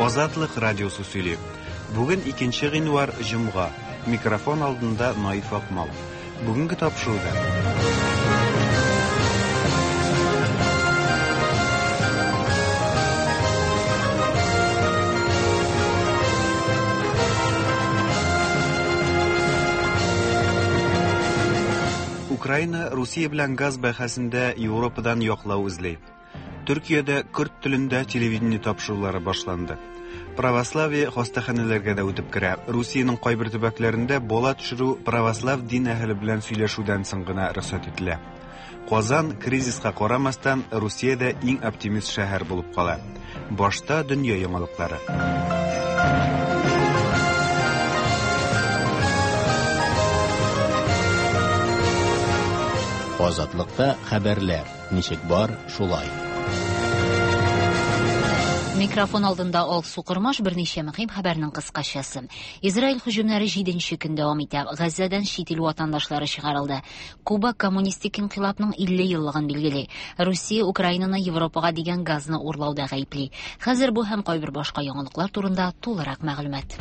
Азатлык радиосы сөйли. Бүген 2 гыйнвар, җомга. Микрофон алдында Наиф Акмал. Бүгенге тапшыруда. Украина Русия белән газ бәхәсендә Европадан яклау эзли. Төркиядә көрд телендә телевидение тапшырулары башланды. Православие хастаханәләргә дә үтеп керә. Русиянең кайбер төбәкләрендә бала төшерү православ дин әһеле белән сөйләшүдән соң гына рөхсәт ителә. Казан, кризиска карамастан, Русиядә иң оптимист шәһәр булып кала. Башта дөнья яңалыклары. Азатлыкта хәбәрләр. Ничек бар, шулай. Микрофон алдында Алсу Кормаш берничә мөһим хәбәрнең кыскачасы. Израиль һөҗүмнәре 7 көн дәвам итә. Газзәдән чит ил ватандашлары чыгарылды. Куба коммунистик инкыйлабның 50 еллыгын билгели. Русия Украинаны Европага дигән газны урлауда гаепли. Хәзер бу һәм кайбер башка яңалыклар турында тулырак мәгълүмат.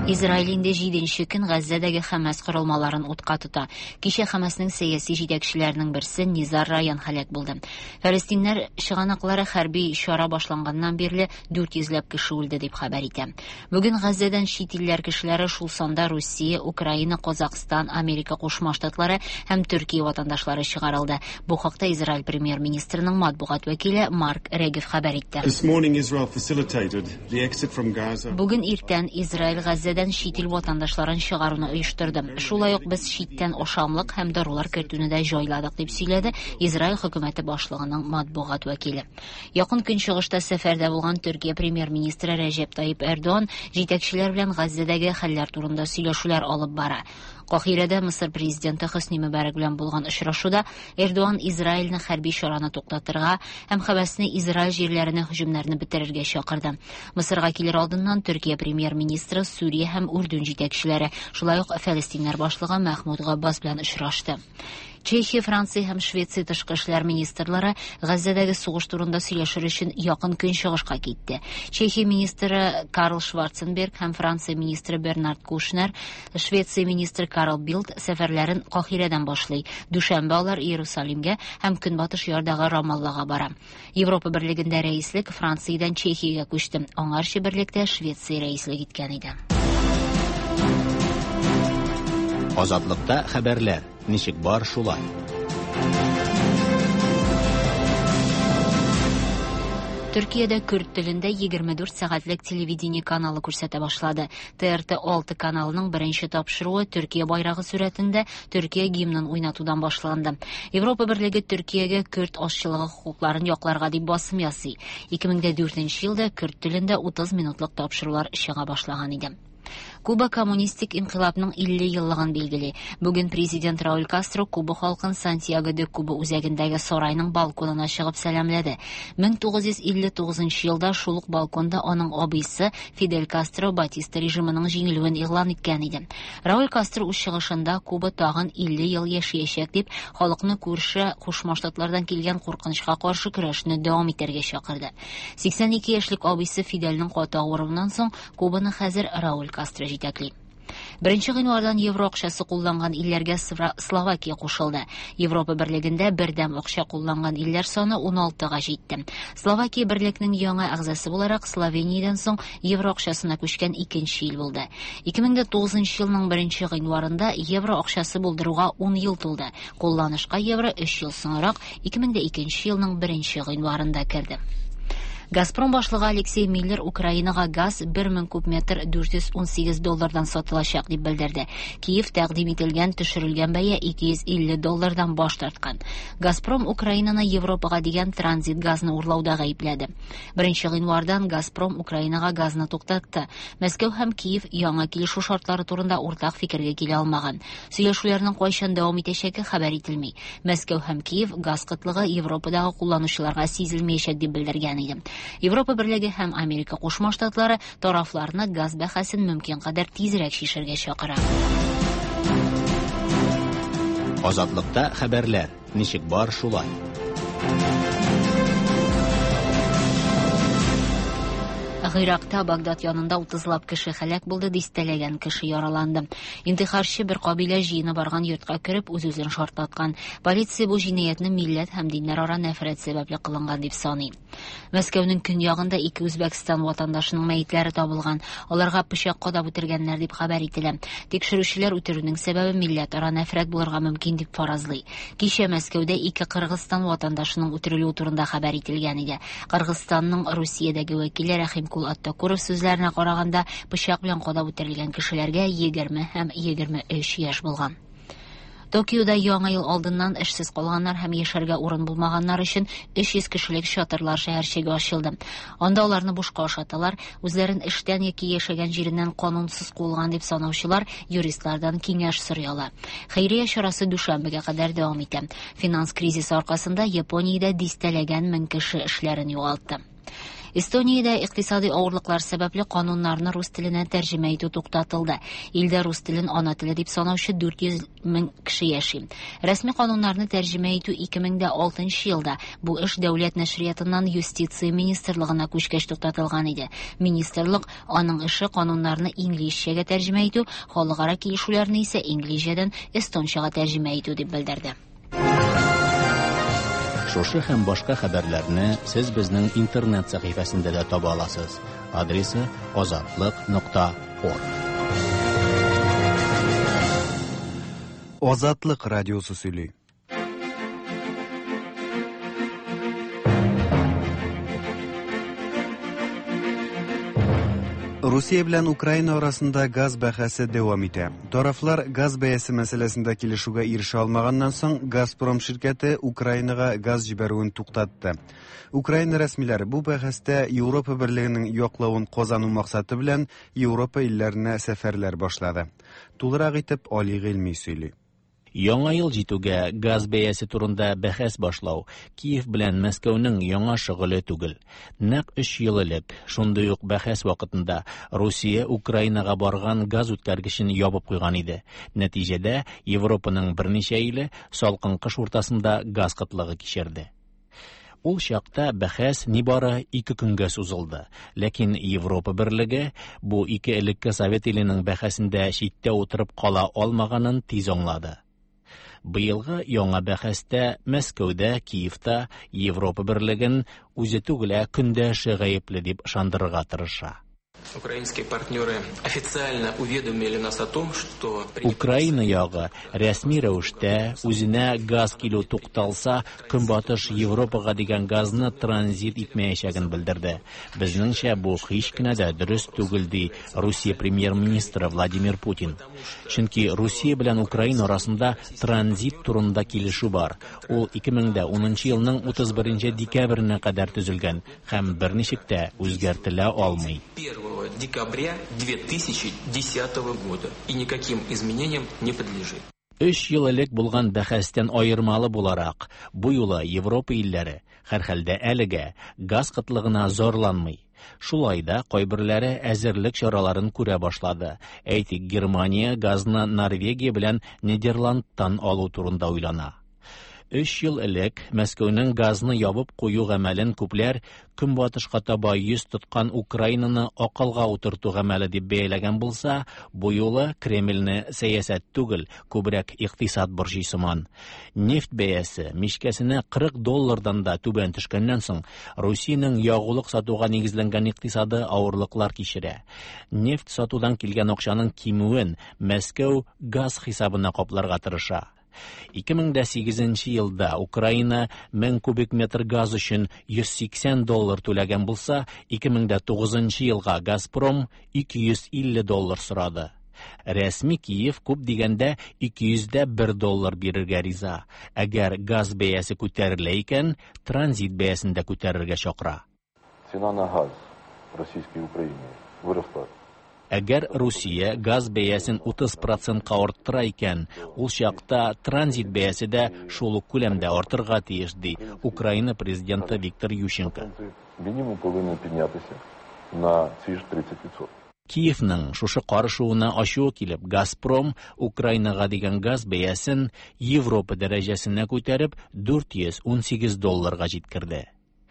Израиль инде җиденче көн Газзәдәге Хәмәс корылмаларын утка тота. Кичә Хәмәснең сәяси җитәкчеләренең берсе Низар Раян һәлак булды. Фәлестиннәр чыганаклары хәрби чара башланганнан бирле 400 ләп кеше үлде дип хәбәр итә. Бүген Газзәдән чит илләр кешеләре, шул санда Русия, Украина, Казакъстан, Америка Кушма Штатлары һәм Төркия ватандашлары чыгарылды. Бу хакта Израиль премьер-министрының матбугат вәкиле Марк Регев хәбәр итте. Бүген иртән Израиль Газзәдән чит ил ватандашларын чыгаруны оештырды. Шулай ук без читтән ашамлык һәм дарулар кертүне дә җайладык, дип сөйләде Израиль хөкүмәте башлыгының матбугат вәкиле. Якын Көнчыгышта сәфәрдә булган Төркия премьер-министры Рәҗәп Тайип Эрдоган җитәкчеләр белән Газзәдәге хәлләр турында сөйләшүләр алып бара. Каһирәдә Мысыр президенты Хөсни Мөбарәк белән булган очрашуда Эрдоган Израильне хәрби чараны туктатырга һәм Хәмәсне Израиль җирләренә һөҗүмнәрне бетерергә чакырды. Мысырга килер алдыннан Төркия премьер-министры Сүрия һәм Үрдүн җитәкчеләре, шулай ук Фәлестиннәр башлыгы Мәхмүд Габбас белән очрашты. Чехия, Франция һәм Швеция тышкы эшләр министрлары Газзәдәге сугыш турында сөйләшер өчен Якын Көнчыгышка китте. Чехия министры Карл Шварценберг һәм Франция министры Бернард Кушнер, Швеция министры Карл Билд сәфәрләрен Каһирәдән башлый. Дүшәмбе алар Иерусалимгә һәм Көнбатыш ярдагы Рамаллага бара. Европа Берлегендә рәислек Франциядән Чехиягә күчте. Аңарчы берлектә Швеция рәислек иткән иде. Азатлыкта хәбәрләр. Ничек бар, шулай. Төркиядә көрд телендә 24 сәгатьлек телевидение каналы күрсәтә башлады. ТРТ 6 каналының беренче тапшыруы Төркия байрагы сурәтендә Төркия гимнын уйнатудан башланды. Европа Берлеге Төркиягә көрд азчылыгы хокукларын якларга дип басым ясый. 2004 елда көрд телендә 30 минутлык тапшырулар чыга башлаган иде. Куба коммунистик инкыйлабның 50 еллыгын билгели. Бүген президент Рауль Кастро Куба халкын Сантьяго де Куба үзәгендәге сарайның балконына чыгып сәламләде. 1959 елда шул ук балконда аның абыйсы Фидель Кастро Батиста режимының җиңелүен игълан иткән иде. Рауль Кастро үз чыгышында Куба тагын 50 ел яшәячәк дип, халыкны күрше Кушма Штатлардан килгән куркынычка каршы көрәшне дәвам итәргә чакырды. 82 яшьлек абыйсы Фидельнең каты авыруыннан соң Кубаны хәзер Рауль Кастро җитәкли. Беренче гыйнвардан евро акчасы кулланган илләргә Словакия кушылды. Европа берлегендә бердәм акча кулланган илләр саны 16-га җитте. Словакия берлекнең яңа әгъзасы буларак Словениядән соң евро акчасына күчкән икенче ил булды. 2009 елның беренче гыйнварында евро акчасы булдыруга 10 ел тулды. Кулланышка евро 3 ел соңрак 2002 елның беренче гыйнварында керде. Газпром башлыгы Алексей Миллер Украинага газ 1000 куб метр 418 доллардан сатылачак дип белдерде. Киев тәкъдим ителгән төшерелгән бәя 250 доллардан баш тарткан. Газпром Украинаны Европага дигән транзит газны урлауда гаепләде. Беренче гыйнвардан Газпром Украинага газны туктатты. Мәскәү һәм Киев яңа килешү шартлары турында уртак фикергә килә алмаган. Сөйләшүләрнең кайчан дәвам итәчәге хәбәр ителми. Мәскәү һәм Киев газ кытлыгы Европадагы кулланучыларга сизелмәячәк дип белдергән иде. Европа Берлеге һәм Америка Кушма Штатлары тарафларны газ бәһасен мөмкин кадәр тизрәк чишәргә чакыра. Азатлыкта хәбәрләр, ничек бар шулай. Гыйракта Багдад янында утызлап кеше һәлак булды, дистәләгән кеше яраланды. Интихарчы бер кабилә җыены барган йортка кереп, үз-үзен шартлаткан. Полиция бу җинаятьне милләт һәм диннәрара нәфрәт сәбәпле кылынган дип саный. Мәскәүнең көньягында ике Үзбәкстан ватандашының мәетләре табылган. Аларга пычак кадап үтергәннәр дип хәбәр ителә. Тикшерүчеләр үтерүнең сәбәбе милләтара нәфрәт булырга мөмкин дип фаразлый. Кичә Мәскәүдә ике Кыргызстан ватандашының үтерелүе турында хәбәр ителгән иде. Кыргызстанның Русиядәге вәкиле Рәхимкул Аттакуров сүзләренә караганда, пычак белән кадап үтерелгән кешеләргә 20 һәм 23 яшь булган. Токиода Яңа ел алдыннан эшсез калганнар һәм яшәргә урын булмаганнар өчен 300 кешелек чатырлар шәһәрчеге ачылды. Анда аларны бушка ашаталар, үзләрен эштән яки яшәгән җиреннән канунсыз куылган дип санаучылар юристлардан киңәш сорый ала. Хәйрия чарасы дүшәмбегә кадәр дәвам итә. Финанс кризисы аркасында Япониядә дистәләгән мең кеше эшләрен югалтты. Эстониядә икътисади авырлыклар сәбәпле кануннарны рус теленә тәрҗемә итү туктатылды. Илдә рус телен ана теле дип санаучы 400 мең кеше яши. Рәсми кануннарны тәрҗемә итү 2006 елда бу эш дәүләт нәшриятыннан юстиция министрлыгына күчкәч туктатылган иде. Министрлык аның эше кануннарны инглизчәгә тәрҗемә итү, халыкара килешүләрне исә инглизчәдән эстончага тәрҗемә итү дип белдерде. Шушы һәм башка хәбәрләрне сез безнең интернет сәхифәсендә дә таба аласыз. Адресы azatliq.org. Азатлык радиосы сөйли. Русия белән Украина арасында газ бәхәсе дәвам итә. Тарафлар газ бәясе мәсьәләсендә килешүгә ирешә алмаганнан соң Газпром ширкәте Украинага газ җибәрүен туктатты. Украина рәсмиләре бу бәхәстә Европа берлегенең яклавын казану максаты белән Европа илләренә сәфәрләр башлады. Тулырак итеп Али Гыйльми сөйли. Яңа ел җитүгә газ бәясе турында бәхәс башлау Киев белән Мәскәүнең яңа шөгыле түгел. Нәкъ 3 ел элек шундый ук бәхәс вакытында Русия Украинага барган газ үткәргечен ябып куйган иде. Нәтиҗәдә Европаның берничә иле салкын кыш уртасында газ кытлыгы кичерде. Ул чакта бәхәс нибары 2 көнгә сузылды. Ләкин Европа берлеге бу ике элекке совет иленең бәхәсендә читтә утырып кала алмаганын тиз аңлады. Быелгы яңа бәхәстә Мәскәүдә, Киевта Европа берлеген үзе түгел, ә көндәше гаепле дип ышандырырга тырыша. Украинские партнеры официально уведомили нас о том, что Украина ягы рәсми рәвештә үзенә газ килү тукталса, Көнбатыш Европага дигән газны транзит итмәячәген белдерде. Безнеңчә бу һич кенә дә дөрес түгел, ди Русия премьер-министры Владимир Путин. Чөнки Русия белән Украина арасында транзит турында килешү бар. Ул 2010 елның 31 декабренә кадәр төзелгән һәм берничек тә үзгәртелә алмый. 1 декабря 2010 года и никаким изменениям не подлежит. 3 ел элек булган бәхәстән аермалы буларак, бу юлы Европа илләре һәрхәлдә әлегә газ кытлыгына зарланмый. Шулай да кайберләре әзерлек чараларын күрә башлады. Әйтик, Германия газны Норвегия белән Нидерландтан алу турында уйлана. 3 ел элек Мәскәүнең газны ябып кую гамәлен күпләр Көнбатышка таба йөз тоткан Украинаны акылга утырту гамәле дип бәяләгән булса, бу юлы Кремльне сәясәт түгел, күбрәк икътисад борчый сыман. Нефть бәясе мичкәсенә 40 доллардан да түбән төшкәннән соң, Русиянең ягулык сатуга нигезләнгән икътисады авырлыклар кичерә. Нефть сатудан килгән акчаның кимүен Мәскәү газ хисабына капларга тырыша. 2008 елда Украина 1000 кубик метр газ өчен 180 доллар түләгән булса, 2009 елга Газпром 250 доллар сорады. Рәсми Киев күп дигәндә 201 доллар бирергә риза. Әгәр газ бәясе күтәрелә икән, транзит бәясен дә күтәрергә чакыра. Цена на газ в российской Украине выросла. Әгәр Русия газ бәясен 30%-ка арттыра икән, ул чакта транзит бәясе дә шул ук күләмдә артырга тиеш, ди Украина президенты Виктор Ющенко. Минимум повинен піднятися на ці ж 30%. Киевның шушы карышуына ачуы килеп, Газпром Украинага дигән газ бәясен Европа дәрәҗәсенә күтәреп 418 долларга җиткерде.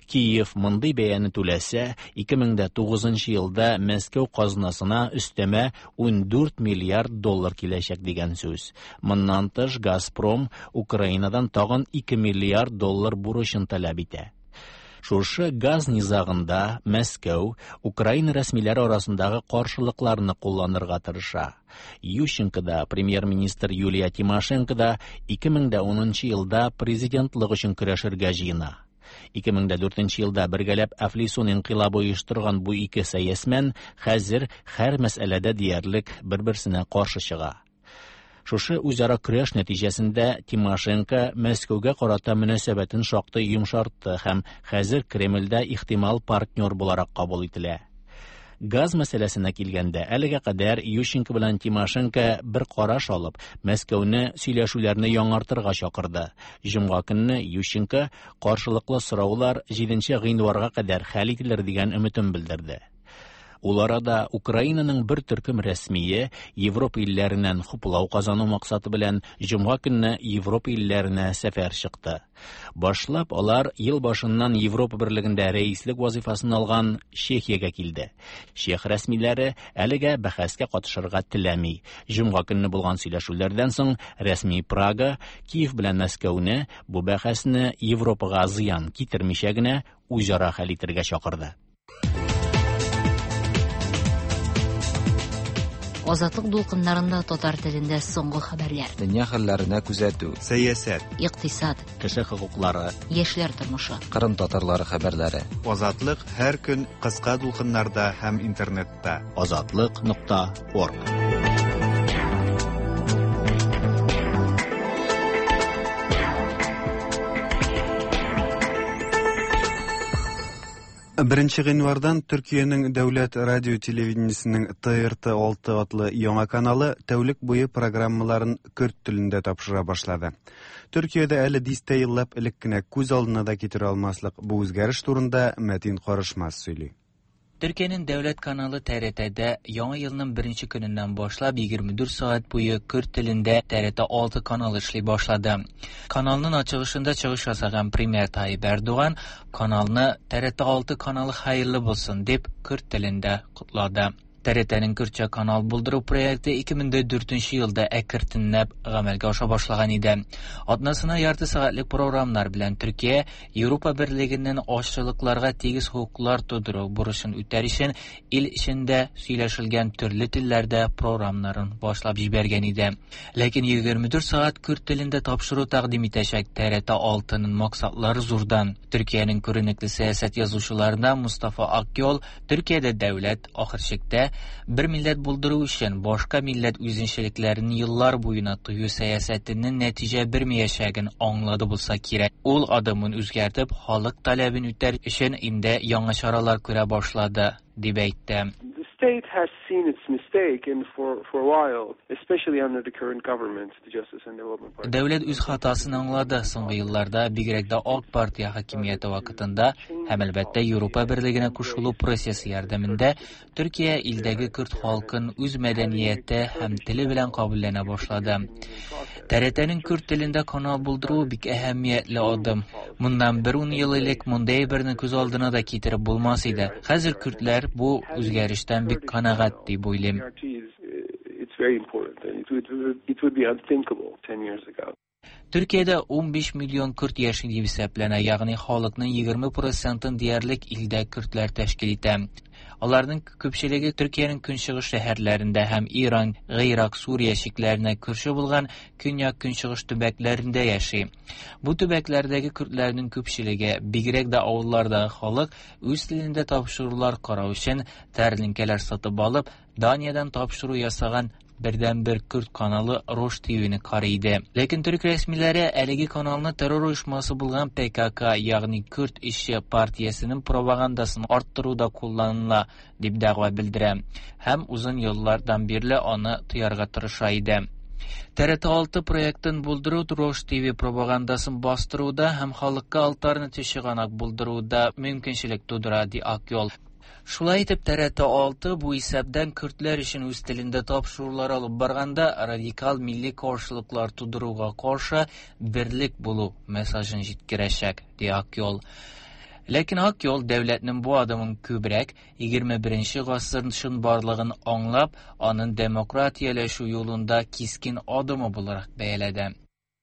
Киев мондый бәяне түләсә, 2009 елда Мәскәү казнасына өстәмә 14 миллиард доллар киләчәк дигән сүз. Моннан тыш Газпром Украинадан тагын 2 миллиард доллар бурычын таләп итә. Шушы газ низагында Мәскәү Украина рәсмиләре арасындагы каршылыкларны кулланырга тырыша. Ющенко да, премьер-министр Юлия Тимошенко да 2010 елда президентлык өчен көрәшергә җыена. 2004 елда бергәләп Әфлисун инкыйлабы оештырган бу ике сәясмән хәзер һәр мәсьәләдә диярлек бер-берсенә каршы чыга. Шушы үзара көрәш нәтиҗәсендә Тимошенко Мәскәүгә карата мөнәсәбәтен шактый йомшартты һәм хәзер Кремльдә ихтимал партнер буларак кабул ителә. Газ мәсьәләсенә килгәндә, әлегә кадәр Ющенко белән Тимошенко бер караш алып, Мәскәүне сөйләшүләрне яңартырга чакырды. Җомга көнне Ющенко каршылыклы сораулар 7 гыйнварга кадәр хәл ителер дигән өметен белдерде. Ул арада Украинаның бер төркем рәсмие Европа илләреннән хуплау казану максаты белән җомга көнне Европа илләренә сәфәр чыкты. Башлап алар ел башыннан Европа берлегендә рәислек вазифасын алган Чехиягә килде. Чех рәсмиләре әлегә бәхәскә катышырга теләми. Җомга көнне булган сөйләшүләрдән соң рәсми Прага Киев белән Мәскәүне бу бәхәсне Европага зыян китермичә генә үзара хәл итәргә чакырды. Азатлык дулкыннарында татар телендә соңгы хәбәрләр. Дөнья хәлләренә күзәтү. Сәясәт. Икътисад. Кеше хокуклары. Яшьләр тормышы. Кырым татарлары хәбәрләре. Азатлык һәр көн кыска дулкыннарда һәм интернетта. Азатлык.орг. Беренче гыйнвардан Төркиянең дәүләт радио телевидениесенең ТРТ 6 атлы яңа каналы тәүлек буе программаларын көрд телендә тапшыра башлады. Төркиядә әле дистә еллап элек кенә күз алдына да китерә алмаслык бу үзгәреш турында Мәтин Карышмас сөйли. Төркиянең дәүләт каналы ТРТ-дә яңа елның беренче көненнән башлап 24 сәгать буе көрд телендә ТРТ 6 каналы эшли башлады. Каналның ачылышында чыгыш ясаган премьер Tayyip Erdoğan каналны ТРТ 6 каналы хәерле булсын дип көрд телендә котлады. ТРТ-нең көрдчә канал булдыру проекты 2004 елда әкертенләп гамәлгә аша башлаган иде. Атнасына ярты сәгатьлек программнар белән Төркия Европа берлегеннән азчылыкларга тигез хокуклар тудыру бурычын үтәр өчен ил эчендә сөйләшелгән төрле телләрдә программнарын башлап җибәргән иде. Ләкин 24 сәгать көрд телендә тапшыру тәкъдим итәчәк ТРТ 6-ның максатлары зурдан. Төркиянең күренекле сәясәт язучыларына Мустафа Акъол Төркиядә дәүләт ахыр чиктә бер милләт булдыру өчен башка милләт үзенчәлекләрен еллар буена тыю сәясәтенең нәтиҗә бирмәячәген аңлады булса кирәк. Ул адымын үзгәртеп, халык таләбен үтәр өчен инде яңа чаралар күрә башлады, дип әйтте. The state has seen its mistake and for a while, especially under the current government, the Justice and Development Party. Дәүләт үз хатасын аңлады. Соңгы елларда бигрәк тә Ак партия хакимияте вакытында һәм әлбәттә Европа берлегенә кушылу процессы ярдәмендә Төркия илдәге көрд халкын үз мәдәнияте һәм теле белән кабулләнә башлады. ТРТ-нең көрд телендә канал булдыру бик әһәмиятле адым. Моннан бер ун ел элек мондай әйберне күз алдына да китереп булмас иде. Хәзер көрдләр бу үзгәрештән бик канәгать дип уйлыйм. It's very important and it would be unthinkable 10 years ago. Төркиядә 15 миллион көрд яши дип исәпләнә, ягъни халыкның 20%-ын диярлек илдә көрдләр тәшкил итә. Аларның күпчелеге Төркиянең көнчыгыш шәһәрләрендә һәм Иран, Гыйрак, Сүрия чикләренә күрше булган көньяк-көнчыгыш төбәкләрендә яши. Бу төбәкләрдәге көрдләрнең күпчелеге, бигрәк тә авыллардагы халык, үз телендә тапшырулар карау өчен тәлинкәләр сатып алып, Даниядән тапшыру ясаган бердәнбер көрд каналы Рош ТВ-ны карый иде. Ләкин төрек рәсмиләре әлеге каналны террор оешмасы булган ПКК, ягъни Көрд эшче партиясенең пропагандасын арттыруда кулланыла дип дәгъва белдерә һәм озын еллардан бирле аны тыярга тырыша иде. ТРТ 6 проектын булдыру Рош ТВ пропагандасын бастыруда һәм халыкка альтернатив чыганак булдыруда мөмкинчелек тудыра, ди Акъол. Шулай итеп, ТРТ 6 бу исәптән көрдләр өчен үз телендә тапшырулар алып барганда радикал милли каршылыклар тудыруга каршы берлек булу мессажын җиткерәчәк, ди Акъюл. Ләкин Акъюл дәүләтнең бу адымын күбрәк 21 гасыр чынбарлыгын аңлап, аның демократияләшү юлында кискен адымы буларак бәяләде.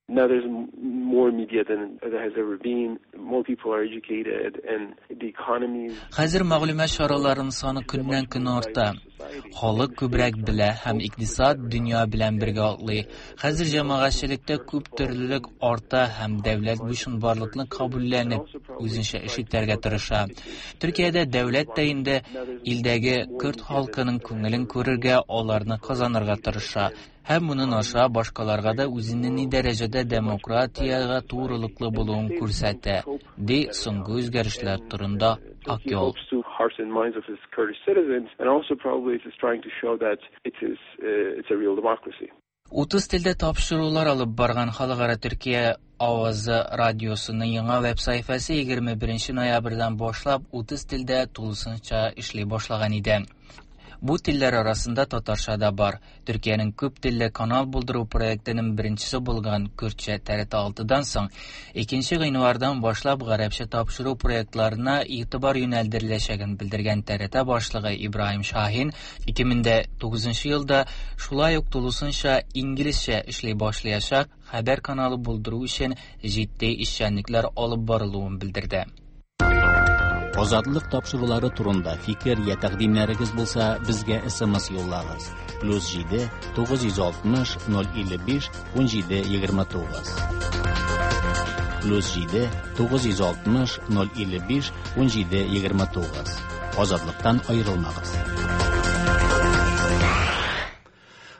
Now there's more media than there has ever been. More people are educated and the economy is Хәзер мәгълүмат чараларының саны көннән-көн арта. Халык күбрәк белә һәм икътисад дөнья белән бергә атлый. Хәзер җәмәгатьчелектә күп төрлелек арта һәм дәүләт бу чынбарлыкны кабулләнеп, үзенчә эш итәргә тырыша. Төркиядә дәүләт тә инде илдәге көрд халкының күңелен күрергә, аларны казанырга тырыша. Һәм моның аша башкаларга да үзенең ни дәрәҗәдә демократиягә турылыклы булуын күрсәтә, ди соңгы үзгәрешләр турында Акъюл. 30 телдә тапшырулар алып барган Халыкара Төркия авазы радиосының яңа веб-сәхифәсе 21 ноябрьдән башлап 30 телдә тулысынча эшли башлаган иде. Бу телләр арасында татарча да бар. Төркиянең күп телле канал булдыру проектының беренчесе булган Көрдчә ТРТ 6-дан соң 2 гыйнвардан башлап гарәпчә тапшыру проектларына игътибар юнәлдереләчәген белдергән ТРТ башлыгы Ибраһим Шаһин 2009 елда шулай ук тулысынча инглизчә эшли башлаячак хәбәр каналы булдыру өчен җитди эшчәнлекләр алып барылуын белдерде. Азатлык тапшырулары турында фикер я тәкъдимнәрегез булса, безгә SMS юллагыз. +7 960 055 17 29. +7 960 055 17 29. Азатлыктан аерылмагыз.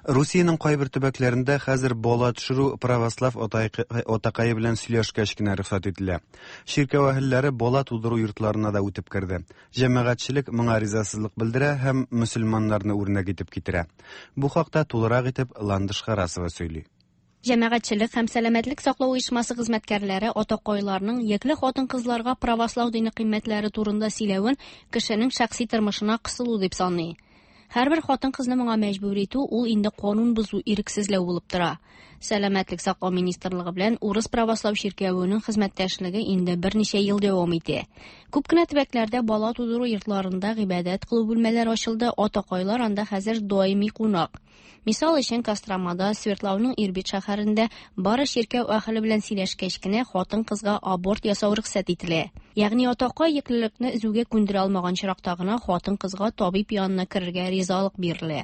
Русиянең кайбер төбәкләрендә хәзер бала төшерү православ атакае белән сөйләшкәч кенә рөхсәт ителә. Чиркәү әһелләре бала тудыру йортларына да үтеп керде. Җәмәгатьчелек моңа ризасызлык белдерә һәм мөселманнарны үрнәк итеп китерә. Бу хакта тулырак итеп Ландыш Харасова сөйли. Җәмәгатьчелек һәм сәламәтлек саклау оешмасы хезмәткәрләре атакайларның йөкле хатын-кызларга православ дине кыйммәтләре турында сөйләвен кешенең шәхси тормышына кысылу дип саный. Һәрбер хатын-кызны моңа мәҗбүр итү ул инде канун бозу, ирексезләү булып тора. Сәламәтлек саклау министрлыгы белән Урыс православ чиркәвенең хезмәттәшлеге инде берничә ел дәвам итә. Күп кенә төбәкләрдә бала тудыру йортларында гыйбадәт кылу бүлмәләре ачылды, атакайлар анда хәзер даими кунак. Мисал өчен, Костромада, Свердлауның Ирбит шәһәрендә бары чиркәү әһеле белән сөйләшкәч кенә хатын-кызга аборт ясау рөхсәт ителә. Ягъни атакай йөклелекне өзүгә күндерә алмаган очракта гына хатын-кызга табиб янына керергә ризалык бирелә.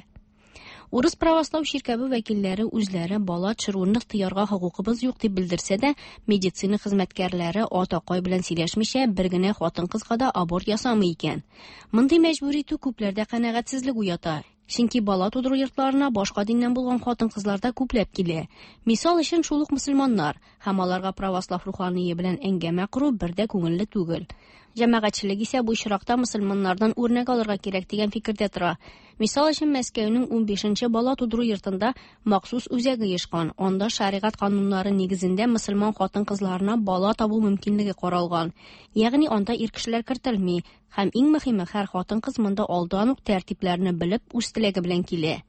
Урыс православ чиркәве вәкилләре үзләре бала төшерүне тыярга хокукыбыз юк дип белдерсә дә, медицина хезмәткәрләре атакай белән сөйләшмичә бер генә хатын-кызга да аборт ясамый икән. Мондый мәҗбүр итү күпләрдә канәгатьсезлек уята. Чөнки бала тудыру йортларына башка диннән булган хатын-кызлар да күпләп килә. Мисал өчен, шул ук мөселманнар һәм аларга православ рухание белән әңгәмә кору бер дә күңелле түгел. Җәмәгатьчелек исә бу очракта мөселманнардан үрнәк алырга кирәк дигән фикердә тора. Мисал өчен, Мәскәүнең 15нче бала тудыру йортында махсус үзәк оешкан. Анда шәригать кануннары нигезендә мөселман хатын-кызларына бала табу мөмкинлеге каралган. Ягъни анда ир кешеләр кертелми. Һәм иң мөһиме, һәр хатын-кыз монда алдан ук тәртипләрне белеп, үз теләге белән килә.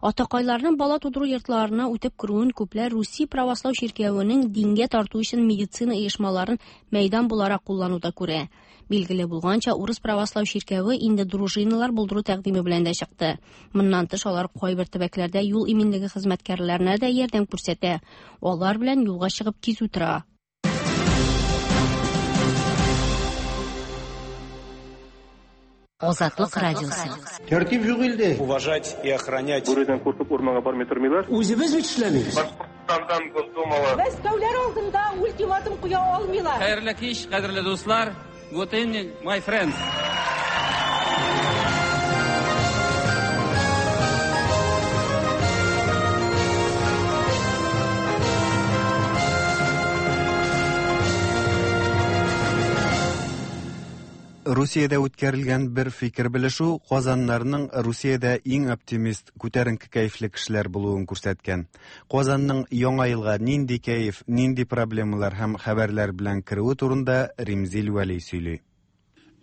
Атакайларның бала тудыру йортларына үтеп керүен күпләр Русия православ чиркәвенең дингә тарту өчен медицина оешмаларын мәйдан буларак куллануда күрә. Билгеле булганча, Урыс православ чиркәве инде дружиналар булдыру тәкъдиме белән дә чыкты. Моннан тыш, алар кайбер төбәкләрдә юл иминлеге хезмәткәрләренә дә ярдәм күрсәтә. Алар белән юлга чыгып кизү тора. Азатлык радиосы. Тәртип юк илдә. Уважать и охранять. Бүредән куркып урманга бармый тормыйлар. Үзебез бит эшләмибез. Башкортстандан Госдумалы. Мәскәүләр алдында ультиматум куя алмыйлар. Хәерле кич, кадерле дуслар. Good evening, my friends. Русиядә үткәрелгән бер фикер белешү Казаннарның Русиядә иң оптимист, күтәренке кәефле кешеләр булуын күрсәткән. Казанның яңа елга нинди кәеф, нинди проблемалар һәм хәбәрләр белән керүе турында Римзил Вәли сөйли.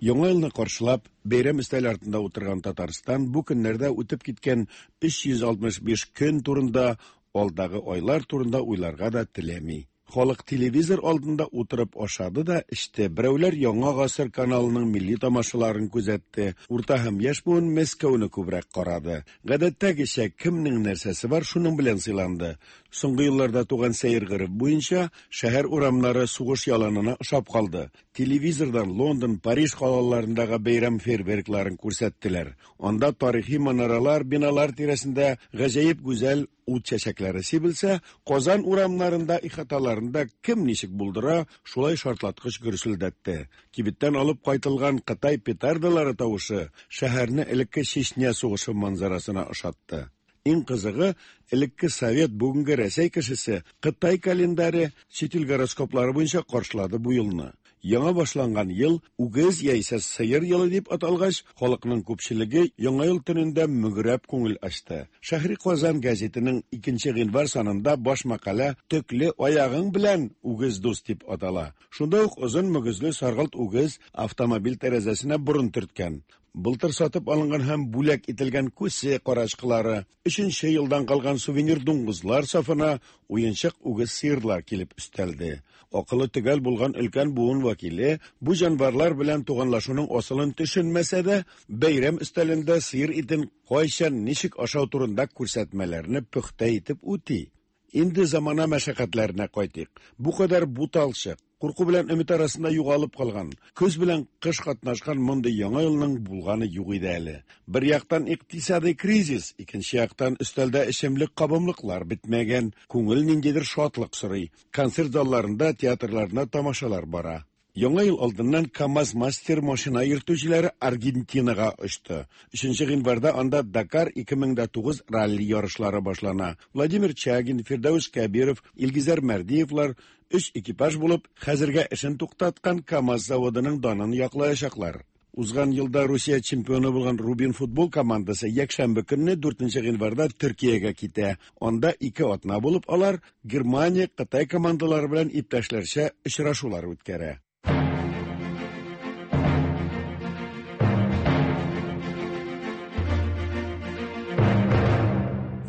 Яңа елны каршылап, бәйрәм өстәле артында утырган Татарстан бу көннәрдә үтеп киткән 365 көн турында, алдагы айлар турында уйларга да теләми. Халык телевизор алдында утырып ашады да эчте. Берәүләр Яңа гасыр каналының милли тамашаларын күзәтте. Урта һәм яшь буын Мәскәүне күбрәк карады. Гадәттәгечә, кемнең нәрсәсе бар, шуның белән сыйланды. Соңгы елларда туган сәер гореф буенча, шәһәр урамнары сугыш яланына ошап калды. Телевизордан Лондон, Париж калаларындагы бәйрәм фейерверкларын күрсәттеләр. Анда тарихи манаралар, биналар тирәсендә гаҗәеп гүзәл ут чәчәкләре сибелсә, Казан урамнарында, ихаталарында кем ничек булдыра, шулай шартлаткыч гөрселдәтте. Кибеттән алып кайтылган Кытай петардалары тавышы шәһәрне элекке Чечня сугышы манзарасына ошатты. Иң кызыгы, элекке совет, бүгенге Рәсәй кешесе Кытай календаре, чит ил гороскоплары буенча каршылады бу елны. Яңа башланган ел үгез яисә сыер елы дип аталгач, халыкның күпчелеге Яңа ел төнендә мөгрәп күңел ачты. Шәһри Казан гәзитенең 2 гыйнвар санында баш мәкалә Төкле аягың белән үгез дус дип атала. Шунда ук озын мөгезле саргылт үгез автомобиль тәрәзәсенә борын төрткән. Былтыр сатып алынган һәм бүләк ителгән күсе карачкылары, өченче елдан калган сувенир дуңгызлар сафына уенчык үгез сыерлар килеп өстәлде. Акылы төгәл булган өлкән буын вәкиле бу җанварлар белән туганлашуның асылын төшенмәсә дә, бәйрәм өстәлендә сыер итен кайчан, ничек ашау турында күрсәтмәләрне пөхтә итеп үти. Инде замана мәшәкатьләренә кайтыйк. Бу кадәр буталчык, курку белән өмет арасында югалып калган, көз белән кыш катнашкан мондый яңа елның булганы юк иде әле. Бер яктан икътисадый кризис, икенче яктан өстәлдә эчемлек кабымлыклар бетмәгән, күңел ниндидер шатлык сорый. Концерт залларында, театрларында тамашалар бара. Яңа ел алдыннан КАМАЗ-мастер машина йөртүчеләре Аргентинага очты. 3 гыйнварда анда Дакар 2009 ралли ярышлары башлана. Владимир Чагин, Фирдәүс Кәбиров, Илгизәр Мәрдиевлар өч экипаж булып, хәзергә эшен туктаткан КАМАЗ заводының данын яклаячаклар. Узган елда Русия чемпионы булган Рубин футбол командасы якшәмбе көнне 4 гыйнварда Төркиягә китә. Анда ике атна булып алар Германия, Кытай командалары белән иптәшләрчә очрашулар үткәрә.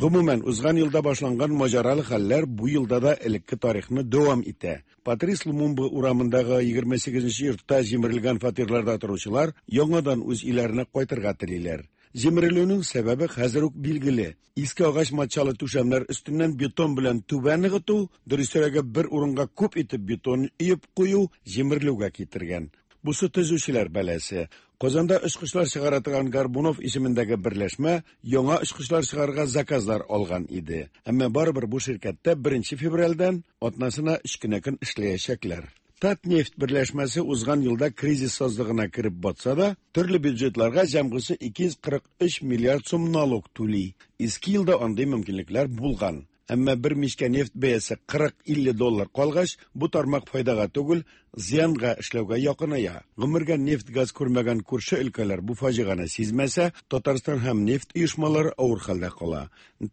Гомумән, узган елда башланган маҗаралы хәлләр бу елда да элекке тарихны дәвам итә. Патрис Лумумба урамындагы 28 йортта җимерелгән фатирларда торучылар яңадан үз өйләренә кайтырга телиләр. Җимерелүнең сәбәбе хәзер үк билгеле. Иске агач матчалы түшәмнәр өстеннән бетон белән түбә ныгыту, дөресрәге бер урынга күп итеп бетон өеп кую җимерелүгә китергән. Бусы төзүчеләр бәласе. Казанда очкычлар чыгара торган Горбунов исемендәге берләшмә яңа очкычлар чыгарырга заказлар алган иде. Әмма барыбер бу ширкәттә 1 февральдән атнасына 3 кенә көн эшләячәкләр. Татнефть берләшмәсе узган елда кризис сазлыгына кереп батса да, төрле бюджетларга җәмгысе 243 миллиард сум налог түли. Иске елда андый мөмкинлекләр булган. Әмма бер мичкә нефть бәясе 40-50 доллар калгач, бу тармак файдага түгел, зыянга эшләүгә якыная. Гомергә нефть-газ күрмәгән күрше өлкәләр бу фаҗигане сизмәсә, Татарстан һәм нефть оешмалары авыр хәлдә кала.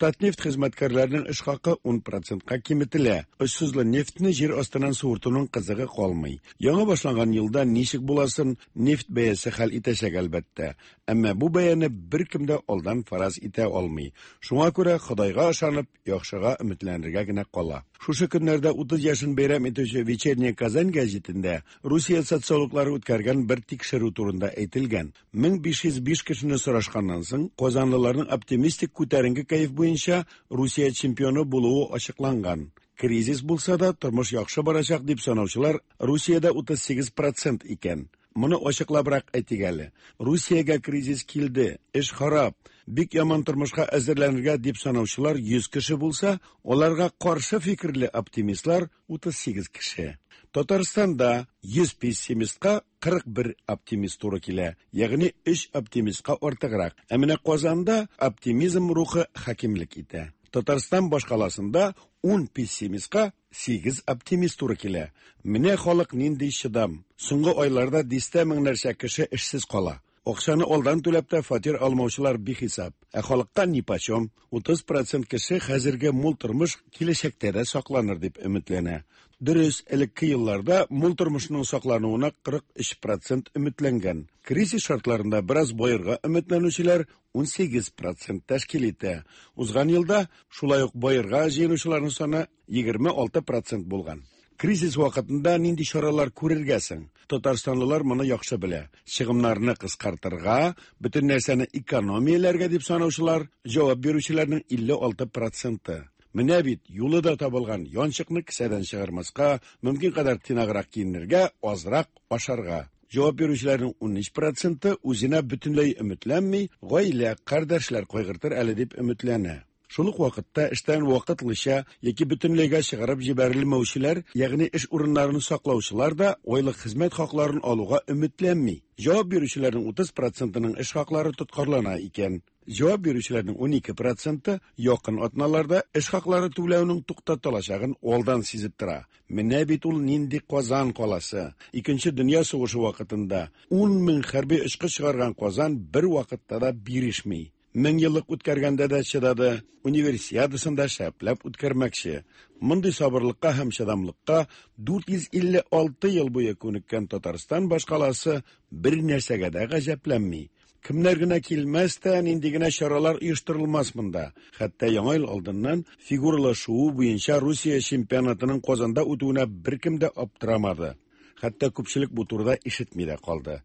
Татнефть хезмәткәрләренең эш хакы 10%ка киметелә. Очсызлы нефтьне җир астыннан суыртуның кызыгы калмый. Яңа башланган елда ничек буласын нефть бәясе хәл итәчәк әлбәттә. Әмма бу бәяне беркем дә алдан фараз итә алмый. Шуңа күрә Ходайга ышанып, яхшыга өметләнергә генә кала. Шушы көннәрдә 30 яшен бәйрәм итүче Вечерняя Казань гәзитендә Русия социологлары үткәргән бер тикшерү турында әйтелгән. 1505 кешене сорашканнан соң, казанлыларның оптимистик күтәренке кәеф буенча Русия чемпионы булуы ачыкланган. Кризис булса да, тормыш яхшы барачак дип санаучылар Русиядә 38% икән. Моны ачыклабрак әйтик әле. Русиягә кризис килде, эш харап, бик яман тормышка әзерләнергә дип санаучылар 100 кеше булса, аларга каршы фикерле оптимистлар 38 кеше. Татарстанда 100 пессимистка 41 оптимист туры килә, ягъни 3 оптимистка артыграк. Ә менә Казанда оптимизм рухы хакимлек итә. Татарстан башкаласында 10 пессимистка 8 оптимист туры килә. Менә халык нинди чыдам. Соңгы айларда дистә меңнәрчә кеше эшсез кала. Акчаны алдан түләп тә фатир алмаучылар бихисап. Ә халыкка нипочем. 30% кеше хәзерге мул тормыш киләчәктә дә сакланыр дип өметләнә. Дөрес, элекке елларда мул тормышның саклануына 43% өметләнгән. Кризис шартларында бераз баерга өметләнүчеләр 18% тәшкил итә. Узган елда шулай ук баерга җыенучыларның саны 26% булган. Кризис вакытында нинди чаралар күрергә соң? Татарстанлылар моны яхшы белә. Чыгымнарны кыскартырга, бөтен нәрсәне экономияләргә дип санаучылар, җавап бирүчеләрнең 56 проценты. Менә бит юлы да табылган: янчыкны кесәдән чыгармаска, мөмкин кадәр тыйнаграк киенергә, азрак ашарга. Җавап бирүчеләрнең 13 проценты үзенә бөтенләй өметләнми, гаилә, кардәшләр кайгыртыр әле дип өметләнә. Шул ук вакытта эштән вакытлыча яки бөтенләйгә чыгарып җибәрелмәүчеләр, ягъни эш урыннарын саклаучылар да айлык хезмәт хакларын алуга өметләнми. Җавап бирүчеләрнең 30 процентының эш хаклары тоткарлана икән. Җавап бирүчеләрнең 12 проценты якын атналарда эш хаклары түләүнең туктатылачагын алдан сизеп тора. Менә бит ул нинди Казан каласы. Икенче дөнья сугышы вакытында 10 мең хәрби очкыч чыгарган Казан бер вакытта да бирешми. Мең еллык үткәргәндә дә чыдады, Универсиадасын да шәпләп үткәрмәкче. Мондый сабырлыкка һәм чыдамлыкка 456 ел буе күнеккән Татарстан башкаласы бер нәрсәгә дә гаҗәпләнми. Кемнәр генә килмәс тә, нинди генә чаралар оештырылмас монда. Хәтта Яңа ел алдыннан фигуралы шуу буенча Русия чемпионатының Казанда үтүенә беркем дә аптырамады. Хәтта күпчелек бу турыда ишетми дә калды.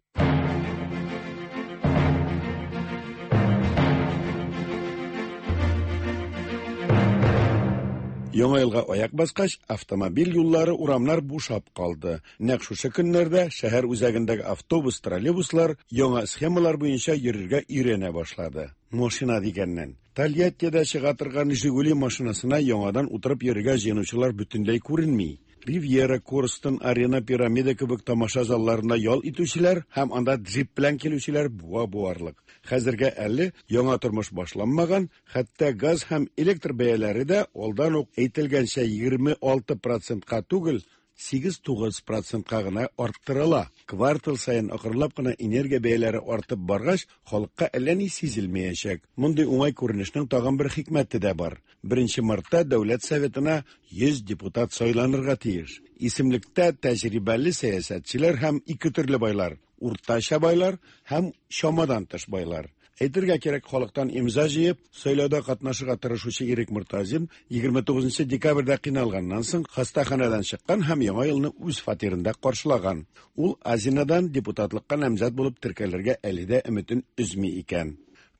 Яңа елга аяк баскач, автомобиль юллары, урамнар бушап калды. Нәкъ шушы көннәрдә шәһәр үзәгендәге автобус, троллейбуслар яңа схемалар буенча йөрергә өйрәнә башлады. Машина дигәннән, Тольяттида чыга торган Жигули машинасына яңадан утырып йөрергә җыенучылар бөтенләй күренми. Ривьера, Корстон, Арена, Пирамида кебек тамаша залларында ял итүчеләр һәм анда джип белән килүчеләр буа буарлык. Хәзергә әле яңа тормыш башланмаган, хәтта газ һәм электр бәяләре дә алдан ук әйтелгәнчә 26 процентка түгел, 8-9 процентка гына арттырыла. Квартал саен акрынлап кына энергия бәяләре артып баргач, халыкка әллә ни сизелмәячәк. Мондый уңай күренешнең тагын бер хикмәте дә бар. 1 мартта Дәүләт Советына 100 депутат сайланырга тиеш. Исемлектә тәҗрибәле сәясәтчеләр һәм ике төрле байлар: уртача байлар һәм чамадан тыш байлар. Әйтергә кирәк, халыктан имза җыеп, сайлауда катнашырга тырышучы Ирек Мортазин 29 декабрьдә кыйналганнан соң хастаханәдән чыккан һәм Яңа елны үз фатирында каршылаган. Ул Азинадан депутатлыкка намзәт булып теркәлергә әле дә өметен өзми икән.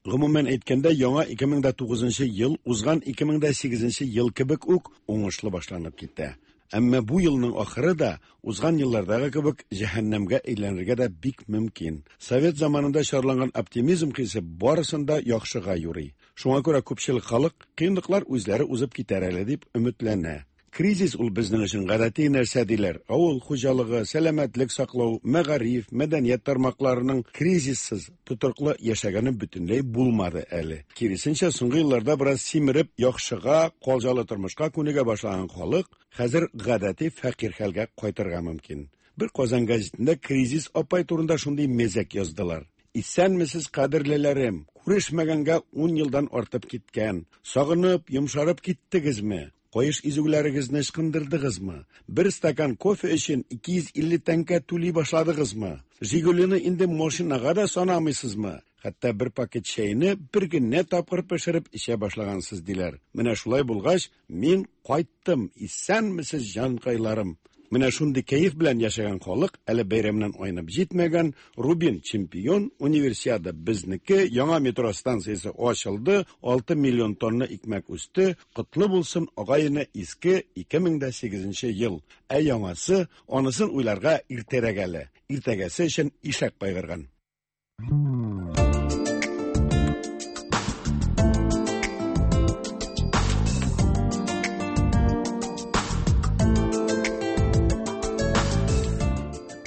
Гомумән әйткәндә, яңа 2009 ел узган 2008 ел кебек үк уңышлы башланып китә. Әмма бу елның ахыры да узган еллардагы кебек җәһәннәмгә әйләнергә дә бик мөмкин. Совет заманында чарланган оптимизм хисе барысын да яхшыга юрый. Шуңа күрә күпчелек халык кыенлыклар үзләре узып китәр әле дип өметләнә. Кризис ул безнең өчен гадәти нәрсә диләр. Авыл хуҗалыгы, сәламәтлек саклау, мәгариф, мәдәният тармакларының кризиссыз тотрыклы яшәгәне бөтенләй булмады әле. Киресенчә, соңгы елларда бераз симереп, яхшыга, калҗалы тормышка күнегә башлаган халык хәзер гадәти фәкыйрь хәлгә кайтырга мөмкин. Бер Казан газетында кризис апай турында шундый мәзәк яздылар. Исәнмесез, кадерлеләрем! Күрешмәгәнгә 10 елдан артып киткән. Сагынып, йомшарып киттегезме? Каеш изүләрегезне ычкындырдыгызмы? Бер стакан кофе өчен 250 тәңкә түли башладыгызмы? Жигулины инде машинага да санамыйсызмы? Хәтта бер пакет чәйне бер генә тапкыр пешереп эчә башлагансыз диләр. Менә шулай булгач, мин кайттым. Исәнмесез, җанкайларым! Менә шундый кәеф белән яшәгән халык әле бәйрәмнән айнып җитмәгән, Рубин чемпион, Универсиада безнеке, яңа метро станциясе ачылды, 6 миллион тонна икмәк үсте, котлы булсын агай-эне иске 2008 ел. Ә яңасы, анысын уйларга иртәрәк әле. Иртәгәсе өчен ишәк кайгырган.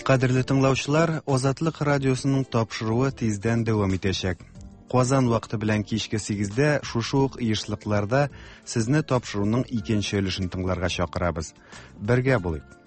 Кадерле тыңлаучылар, Азатлык радиосының тапшыруы тиздән дәвам итәчәк. Казан вакыты белән кичке 8-дә шушы ук ешлыкларда сезне тапшыруның икенче өлешен тыңларга чакырабыз. Бергә булыйк.